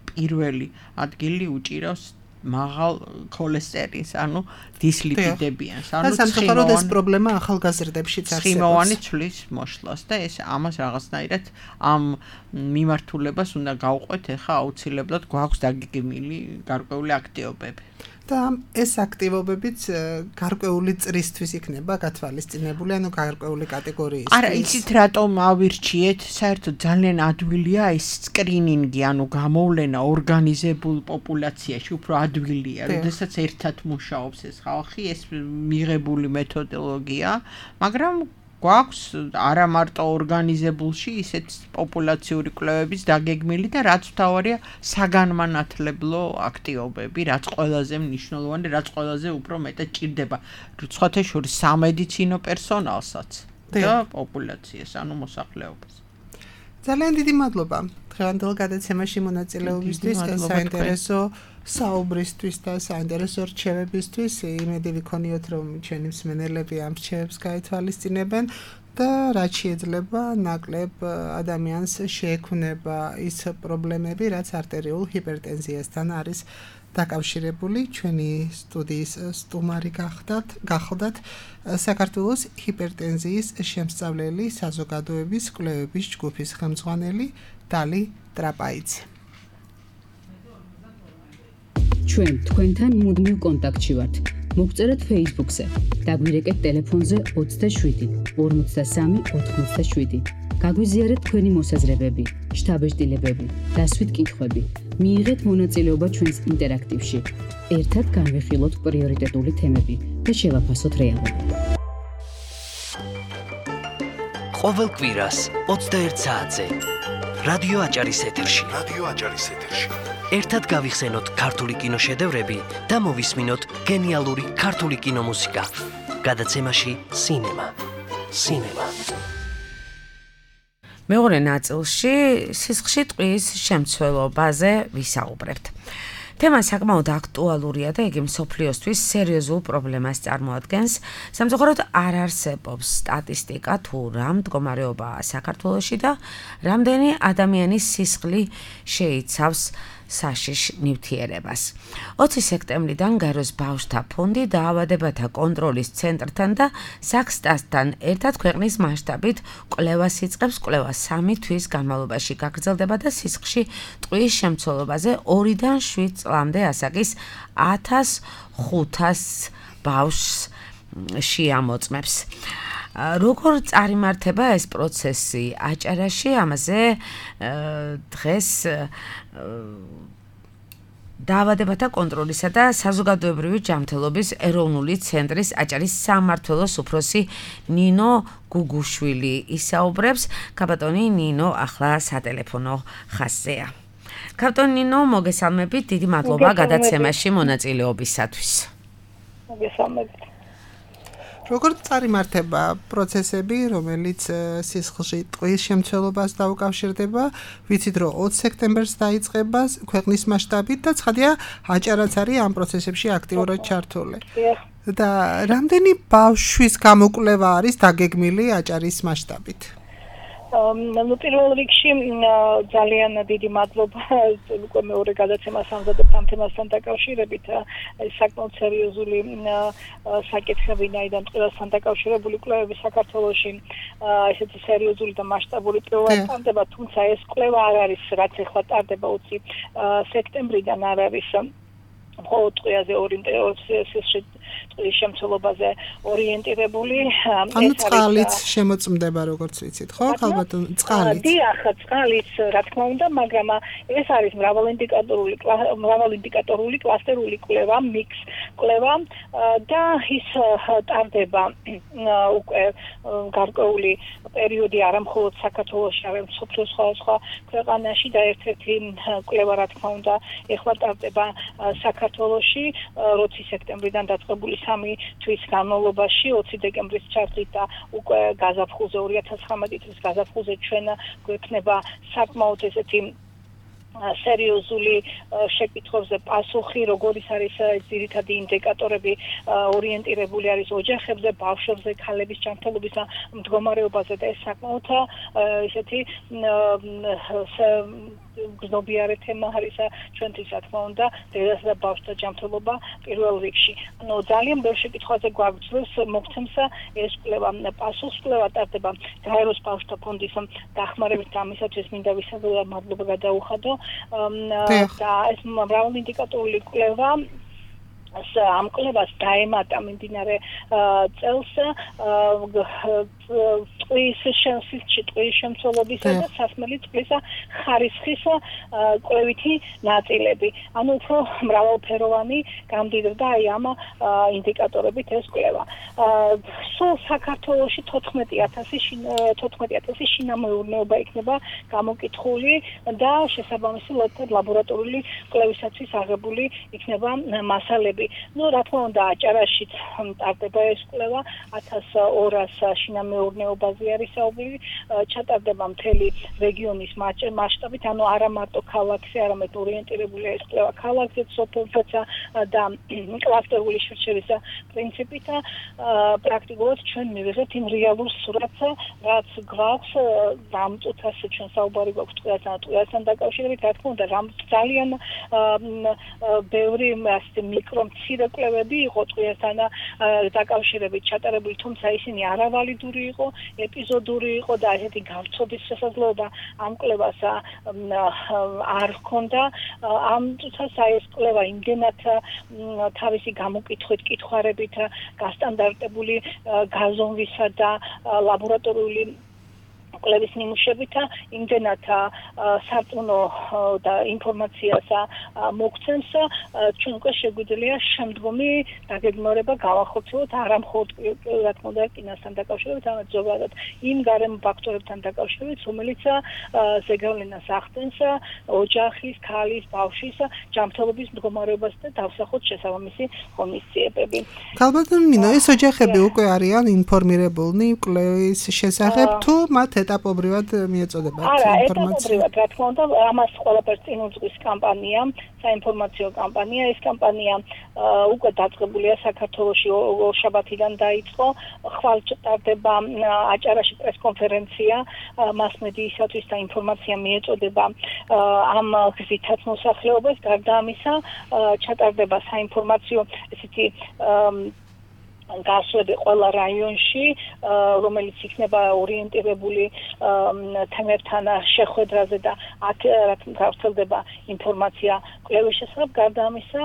[SPEAKER 4] პირველი ადგილი უჭირავს მაღალ ქოლესტერინს, ანუ დისლიპიდებიანს,
[SPEAKER 3] ანუ სამწუხაროდ ეს პრობლემა ახალგაზრდებშიც არსებობს.
[SPEAKER 4] ცხიმოვანი ცვლის მოშლას და ეს ამას რაღაცნაირად ამ მიმართულებას უნდა გავყვეთ, ახლა აუცილებლად გვაქვს დაგეგმილი გარკვეული აქტივობები.
[SPEAKER 3] და ეს აქტივობებიც გარკვეული წრისთვის იქნება გათვალისწინებული, ანუ გარკვეული კატეგორიის.
[SPEAKER 4] არა, იცით რატომ ავირჩიეთ? საერთოდ ძალიან ადვილია ეს სკრინინგი, ანუ გამოვლენა ორგანიზებულ პოპულაციაში უფრო ადვილია, როდესაც ერთად მუშაობს ეს ხალხი, ეს მიღებული მეთოდოლოგია, მაგრამ გვაქვს არა მარტო ორგანიზებულში ისეთ პოპულაციური კვლევების დაგეგმილი და რაც მთავარია საგანმანათლებლო აქტივობები, რაც ყველაზე მნიშვნელოვანი, რაც ყველაზე უფრო მეტად ჭირდება სხვათა შორის სამედიცინო პერსონალსაც და პოპულაციას, ანუ მოსახლეობას.
[SPEAKER 3] ძალიან დიდი მადლობა დღევანდელ გადაცემაში მონაწილეობისთვის, საინტერესო საუბრისთვის და საინტერესო რჩევებისთვის. იმედი ვიქონიოთ, რომ ჩვენი მსმენელები ამ რჩევებს გაითვალისწინებენ და რაც შეიძლება ნაკლებ ადამიანს შეექმნება ის პრობლემები, რაც არტერიულ ჰიპერტენზიასთან არის დაკავშირებული. ჩვენი სტუდიის სტუმარი გახლდათ საქართველოს ჰიპერტენზიის შემსწავლელი საზოგადოების კვლევების ჯგუფის ხელმძღვანელი დალი ტრაპაიძე.
[SPEAKER 1] ჩვენ თქვენთან მუდმივ კონტაქტში ვართ. მოგწერეთ Facebook-ზე, დაგვირეკეთ ტელეფონზე 27 53 87. გაგვიზიარეთ თქვენი მოსაზრებები, შთაბეჭდილებები, დასვით კითხვები. მიიღეთ მონაწილეობა ჩვენს ინტერაქტივში. ერთად განვიხილოთ პრიორიტეტული თემები და შევაფასოთ რეალობა.
[SPEAKER 5] ყოველ კვირას 21 საათზე რადიო აჭარის ეთერში. ერთად გავიხსენოთ ქართული კინოშედევრები და მოვისმინოთ გენიალური ქართული კინომუსიკა. გადაცემაში სინემა.
[SPEAKER 2] მეორე ნაწილში სისხლში ტყვის შემცველობაზე ვისაუბრებთ. თემა საკმაოდ აქტუალურია და იგი მსოფლიოსთვის სერიოზულ პრობლემას წარმოადგენს. სამწუხაროდ არ არსებობს სტატისტიკა თუ რა მდგომარეობაა საქართველოში და რამდენი ადამიანის სისხლი შეიცავს საშიშ ნივთიერებას. 20 სექტემბრიდან გაეროს ბავშვთა ფონდი დაავადებათა კონტროლის ცენტრთან და საქსტასთან ერთად ქვეყნის მასშტაბით კვლევას იწყებს. კვლევა 3 თვის განმავლობაში გაგრძელდება და სისხლში ტყვის შემცველობაზე 2-დან 7 წლამდე ასაკის 1500 ბავშვს შეამოწმებს. როგორ წარიმართება ეს პროცესი აჭარაში? ამაზე დღეს დაავადებათა კონტროლისა და საზოგადოებრივი ჯანმრთელობის ეროვნული ცენტრის აჭარის სამმართველოს უფროსი ნინო გუგუშვილი ისაუბრებს. კაბატონი ნინო ახლა სატელეფონო ხაზზეა. კაბატონი ნინო, მოგესალმებით, დიდი მადლობა გადაცემაში მონაწილეობისათვის.
[SPEAKER 6] მოგესალმებით.
[SPEAKER 3] როგორ წარიმართება პროცესები, რომელიც სისხლში ტყვის შემცველობას დაუკავშირდება? ვიცით, რომ 20 სექტემბერს დაიწყება ქვეყნის მასშტაბით და ცხადია, აჭარაც არის ამ პროცესებში აქტიურად ჩართული. და რამდენი ბავშვის გამოკვლევა არის დაგეგმილი აჭარის მასშტაბით?
[SPEAKER 6] ნუ პირველ რიგში ძალიან დიდი მადლობა უკვე მეორე გადაცემას ამზადებთ ამ თემასთან დაკავშირებით საკმაოდ სერიოზული საკითხები ნაიდან ყველასთან დაკავშირებული კვლევები საქართველოში ესეთი სერიოზული და მასშტაბური პირველად ტარდება თუმცა ეს კვლევა არ არის რაც ახლა ტარდება 20 სექტემბრიდან არ არის მხოლოდ ტყვიაზე ტყვის შემცველობაზე ორიენტირებული
[SPEAKER 3] ანუ წყალიც შემოწმდება როგორც ვიცით ხო ხალბატონ წყალიც
[SPEAKER 6] დიახ წყალიც რა თქმა უნდა მაგრამ ეს არის მრავალინდიკატორული კლასტერული კვლევა მიქს კვლევა და ის ტარდება უკვე გარკვეული პერიოდი არა მხოლოდ საქართველოში არამედ მსოფლიოს სხვადასხვა ქვეყანაში და ერთ-ერთი კვლევა რა თქმა უნდა ეხლა ტარდება საქართველოში 20 სექტემბრიდან დაწყებული 3 თვის განმავლობაში 20 დეკემბრის ჩართვით და უკვე გაზაფხულზე 2019 წლის გაზაფხულზე ჩვენ გვექნება საკმაოდ ესეთი სერიოზული შეკითხვებზე პასუხი, როგორიც არის ძირითადი ინდიკატორები ორიენტირებული არის ოჯახებზე, ბავშვებზე, ქალების ჯანმრთელობის მდგომარეობაზე და ეს საკმაოდ ესეთი გზნობიარე თემა არის ჩვენთვის რა თქმა უნდა დედასა და ბავშვთა ჯანმრთელობა პირველ რიგში. ანუ ძალიან ბევრ შეკითხვაზე გვაგრძელს მოგცემს ეს კვლევა პასუხს კვლევა ტარდება გაეროს ბავშვთა ფონდის დახმარებით და ამისათვის მინდა ვისაუბროთ მადლობა გადაუხადო და ეს მრავალინდიკატორული კვლევა ამ კვლევას დაემატა მიმდინარე წელს ტყვის შემცველობისა და სასმელი წყლის ხარისხის კვლევითი ნაწილები. ანუ უფრო მრავალფეროვანი გამდიდრდა აი ამ ინდიკატორებით ეს კვლევა. სულ საქართველოში 14000 შინამეურნეობა იქნება გამოკითხული და შესაბამისი ლაბორატორიული კვლევისათვის აღებული იქნება მასალები. ნუ რა თქმა უნდა აჭარაშიც ტარდება ეს კვლევა 1200 შინამეურნეობაზე არის საუბარი ჩატარდება მთელი რეგიონის მასშტაბით ანუ არა მარტო ქალაქზე არამედ ორიენტირებულია ეს კვლევა ქალაქზეც სოფელზეც და კლასტერული შერჩევის პრინციპით პრაქტიკულად ჩვენ მივიღებთ იმ რეალურ სურათს რაც გვაქვს ამ წუთას ჩვენ საუბარი გვაქვს ტყუასთან დაკავშირებით რა თქმა უნდა ძალიან ბევრი მიკრო მცირე კვლევები იყო ტყუასთან დაკავშირებით ჩატარებული, თუმცა ისინი არავალიდური იყო, ეპიზოდური იყო და ესეთი გავრცობის შესაძლებლობა ამ კვლევას არ ჰქონდა. ამ წუთას ეს კვლევა იმდენად თავისი გამოკითხვით, კითხვარებით, გასტანდარტებული გაზომვისა და ლაბორატორიული კვლევის ნიმუშებით იმდენად სარწმუნო და ინფორმაციას მოგცემს ჩვენ უკვე შეგვიძლია შემდგომი დაგეგმარება გავახორციელოთ არა მხოლოდ რა თქმა უნდა კინოსთან დაკავშირებით, არამედ ზოგადად იმ გარემო ფაქტორებთან დაკავშირებით, რომელიც ზეგავლენას ახდენს ოჯახის, ქალის, ბავშვის ჯანმრთელობის მდგომარეობას და დავსახოთ შესაბამისი ღონისძიებები.
[SPEAKER 3] ქალბატონ მინო, ეს ოჯახები უკვე არიან ინფორმირებულნი კვლევის შესახებ თუ მათ ეტაპობრივად მიეწოდებათ ინფორმაცია?
[SPEAKER 6] ეტაპობრივად, რა თქმა უნდა, ამას ყველაფერს წინ უძღვის კამპანია, საინფორმაციო კამპანია. ეს კამპანია უკვე დაწყებულია საქართველოში ორშაბათიდან დაიწყო. ხვალ ტარდება აჭარაში პრესკონფერენცია მასმედიისათვის და ინფორმაცია მიეწოდება ამ გზითაც მოსახლეობას. გარდა ამისა, ჩატარდება საინფორმაციო ესეთი გასვლები ყველა რაიონში, რომელიც იქნება ორიენტირებული თემებთან შეხვედრაზე და აქ გავრცელდება ინფორმაცია კვლევის შესახებ. გარდა ამისა,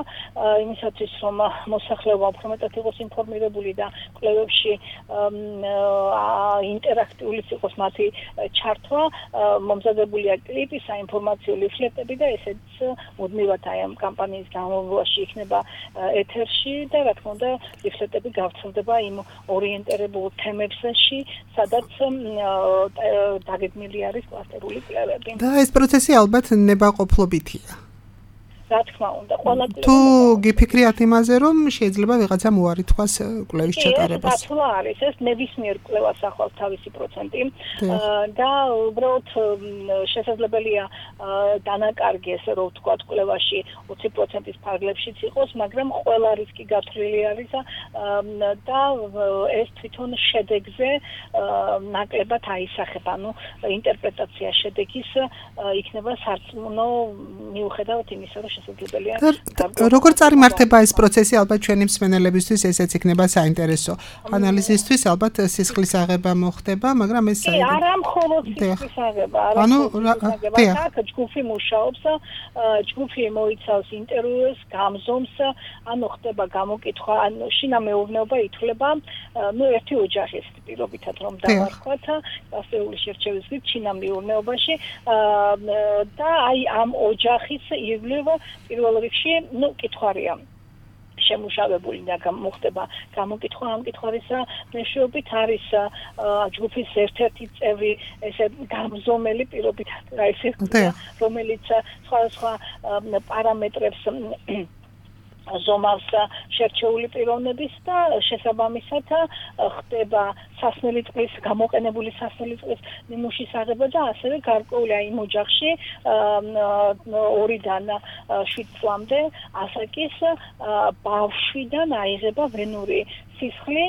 [SPEAKER 6] იმისათვის რომ მოსახლეობა უფრო მეტად იყოს ინფორმირებული და კვლევებში ინტერაქტიული იყოს მათი ჩართვა, მომზადებულია კლიპი, საინფორმაციო ლიფლეტები და ესეც მუდმივად აი ამ კამპანიის განმავლობაში იქნება ეთერში და რა თქმა უნდა ლიფლეტები გავრცელდება იმ ორიენტირებულ თემებში, სადაც დაგეგმილი არის კლასტერული კვლევები.
[SPEAKER 3] და ეს პროცესი ალბათ ნებაყოფლობითია.
[SPEAKER 6] რა თქმა უნდა, ყველა
[SPEAKER 3] თუ გიფიქრიათ იმაზე, რომ შეიძლება ვიღაცამ უარი თქვას კვლევის ჩატარებას.
[SPEAKER 6] ეს დათვლა არის, ეს ნებისმიერ კვლევას ახავს თავისი პროცენტი და უბრალოდ შესაძლებელია დანაკარგეს, რომ ვთქვათ, კვლევაში 20%-ის ფარგლებშიც იყოს, მაგრამ ყველა რისკი გათვლილი არის და ეს თვითონ შედეგზე ნაკლებად აისახება, ანუ ინტერპრეტაცია შედეგის იქნება სარწმუნო მიუხედავად იმისა, რომ შესაძლებელია
[SPEAKER 3] როგორ წარიმართება ეს პროცესი, ალბათ ჩვენი მსმენელებისთვის ესეც იქნება საინტერესო. ანალიზისთვის ალბათ სისხლის აღება მოხდება, მაგრამ ეს
[SPEAKER 6] არა მხოლოდ სისხლის აღება, აქ ჯგუფი მუშაობს, ჯგუფი მოიცავს ინტერვიუს, გამზომს, ანუ ხდება გამოკითხვა, ანუ შინა მეურნეობა ითვლება, ერთი ოჯახის პირობითად რომ დავარქვათ, ასეული შერჩევის გზით შინა მეურნეობაში და აი ამ ოჯახის ირგვლივ პირველ რიგში, კითხვარია შემუშავებული და მოხდება გამოკითხვა ამ კითხვარისა მეშვეობით არის ჯგუფის ერთ-ერთი წევრი ესე გამზომელი პირობითად ესე რომელიც სხვა პარამეტრებს ზომავს შერჩეული პიროვნების და შესაბამისად ხდება სასმელი წყლის გამოყენებული სასმელი წყლის ნიმუშის აღება და ასევე გარკვეული აი იმ ოჯახში 2-დან 7 წლამდე ასაკის ბავშვიდან აიღება ვენური სისხლი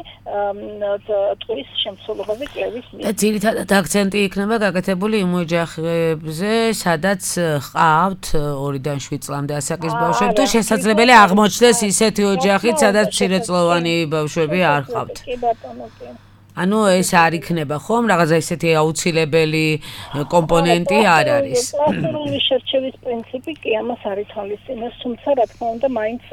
[SPEAKER 6] ტყვის შემცველობაზე კვლევის მიერ.
[SPEAKER 2] და ძირითადად აქცენტი იქნება გაკეთებული იმ ოჯახებზე, სადაც ყავთ 2-დან 7 წლამდე ასაკის ბავშვები, თუ შესაძლებელია აღმოჩნდეს ისეთი ოჯახიც, სადაც მცირეწლოვანი ბავშვები არ ყავთ.
[SPEAKER 6] კი ბატონო, კი.
[SPEAKER 2] ანუ ეს არ იქნება ხომ რაღაცა ისეთი აუცილებელი კომპონენტი არ არის.
[SPEAKER 6] კლასიკური შერჩევის პრინციპი კი ამას არის თვალისწინებს, თუმცა რა თქმა უნდა მაინც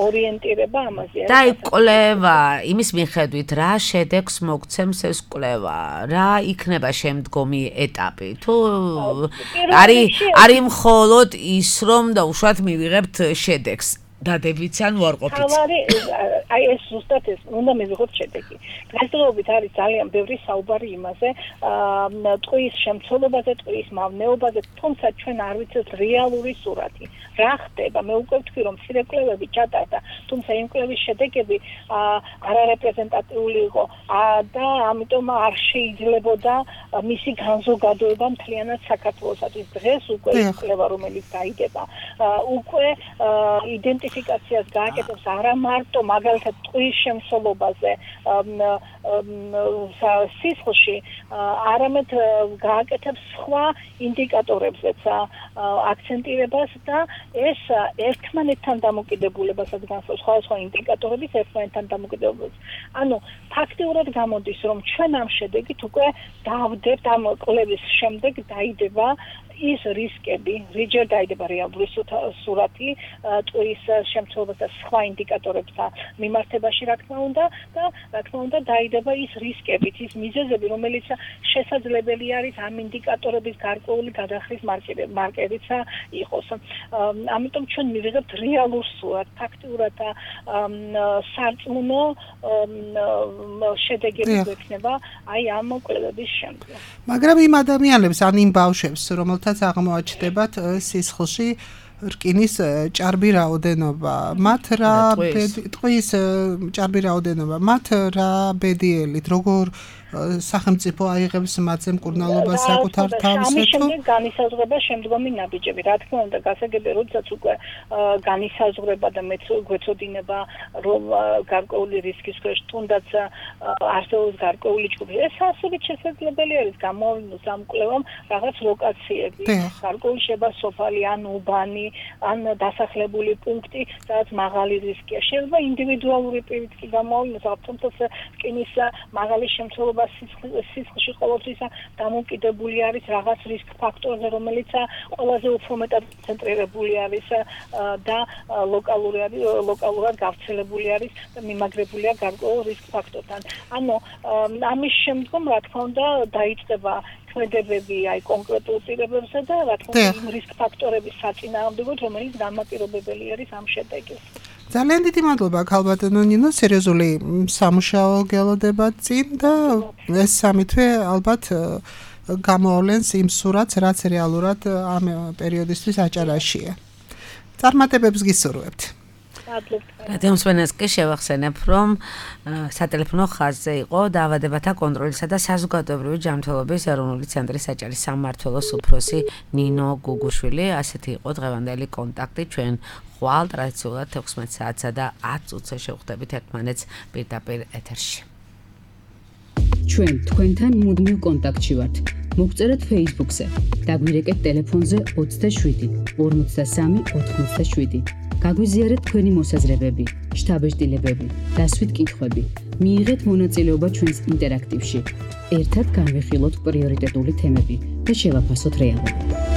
[SPEAKER 6] ორიენტირება ამაზე.
[SPEAKER 2] და კვლევა იმის მიხედვით რა შედეგს მოგცემს ეს კვლევა, რა იქნება შემდგომი ეტაპი. თუ არის მხოლოდ ის რომ დაუშვათ მივიღებთ შედეგს. დადებით ან უარყოფით.
[SPEAKER 6] აი ეს ზუსტად ეს უნდა მივიღოთ შედეგი. დღესდღეობით არის ძალიან ბევრი საუბარი იმაზე, ტყვის შემცველობაზე, ტყვის მავნეობაზე, თუმცა ჩვენ არ ვიცით რეალური სურათი. რა ხდება? მე უკვე ვთქვი, რომ მცირე კვლევები ჩატარდა, თუმცა იმ კვლევის შედეგები არარეპრეზენტატიული იყო და ამიტომ არ შეიძლებოდა მისი განზოგადოება მთლიანად საქართველოსთვის. დღეს უკვე ის კვლევა, რომელიც დაიდება, უკვე იდენტიფიკაციას გააკეთებს არა მარტო მაგალითად ტყვის შემცველობაზე სისხლში, არამედ გააკეთებს სხვა ინდიკატორებზეც აქცენტირებას და ეს ერთმანეთთან დამოკიდებულებასაც განსაზღვრავს სხვა ინდიკატორების ერთმანეთთან დამოკიდებულებას. ანუ ფაქტიურად გამოდის, რომ ჩვენ ამ შედეგით უკვე დავდებთ ამ კვლევის შემდეგ დაიდება ის რისკები, რიჯერ დაიდება რეალური სურათი ტყვის შემცველობას და სხვა ინდიკატორებთან მიმართებაში, რა თქმა უნდა, და რა თქმა უნდა დაიდება ის რისკებით, ის მიზეზები, რომელიც შესაძლებელი არის ამ ინდიკატორების გარკვეული გადახრის მარკერიც იყოს. ამიტომ ჩვენ მივიღებთ რეალურ სურათს, ფაქტიურად სარწმუნო შედეგები გვექნება აი ამ კვლევების შემდეგ.
[SPEAKER 3] მაგრამ იმ ადამიანებს, ან იმ ბავშვებს, რომელთაც აღმოაჩნდებათ სისხლში რკინის ჭარბი რაოდენობა, მათ რა ტყვის ჭარბი რაოდენობა, მათ რა ბედიელით, როგორ სახელმწიფო აიღებს მათზე მკურნალობას საკუთარ თავს?
[SPEAKER 6] ამის შემდეგ განისაზღვრება შემდგომი ნაბიჯები. რა თქმა უნდა, გასაგებია, როდესაც უკვე განისაზღვრება და მეც გვეცოდინება, რომ გარკვეული რისკის ქვეშ თუნდაც არსებობს გარკვეული ჯგუფი. ეს ასობით შესაძლებელი არის გამოავლინოს ამ კვლევამ რაღაც ლოკაციები, გარკვეული შეიძლება სოფალი ან უბანი, ან დასახლებული პუნქტი, სადაც მაღალი რისკია. შეიძლება ინდივიდუალური პირით კი გამოავლინოს, თუმცა რკინის მაღალი შემცველობა სისხლში ყოველთვის დამოკიდებული არის რაღაც რისკ ფაქტორზე, რომელიც ყველაზე უფრო მეტად ცენტრირებული არის და ლოკალურად გავრცელებული არის და მიმაგრებულია გარკვეულ რისკ ფაქტორთან. ანუ ამის შემდგომ, რა თქმა უნდა, დაიწყება ქმედებები აი კონკრეტულ პირობებზე და რა თქმა უნდა იმ რისკ ფაქტორების საწინააღმდეგოდ, რომელიც დამოკიდებელი არის ამ შედეგის.
[SPEAKER 3] ძალიან დიდი მადლობა ქალბატონო ნინო, სერიოზული სამუშაო გელოდებათ წინ და ეს სამი თვე ალბათ გამოავლენს იმ სურათს, რაც რეალურად ამ პერიოდისთვის აჭარაშია. წარმატებებს გისურვებთ.
[SPEAKER 2] რადიომსმენელს კი შევახსენებ, რომ სატელეფონო ხაზზე იყო დაავადებათა კონტროლისა და საზოგადოებრივი ჯანმრთელობის ეროვნული ცენტრის საჭირის სამმართველოს უფროსი ნინო გუგუშვილი. ასეთი იყო დღევანდელი კონტაქტი. ჩვენ ხვალ ტრადიციულად 16 საათსა და 10 წუთზე შევხვდებით ერთმანეთს პირდაპირ ეთერში.
[SPEAKER 1] ჩვენ თქვენთან მუდმივ კონტაქტში ვართ. მოგწერეთ Facebook-ზე, დაგვირეკეთ ტელეფონზე 27 53 87. გაგვიზიარეთ თქვენი მოსაზრებები, შთაბეჭდილებები, დასვით კითხვები. მიიღეთ მონაწილეობა ჩვენს ინტერაქტივში. ერთად განვიხილოთ პრიორიტეტული თემები და შევაფასოთ რეალობა.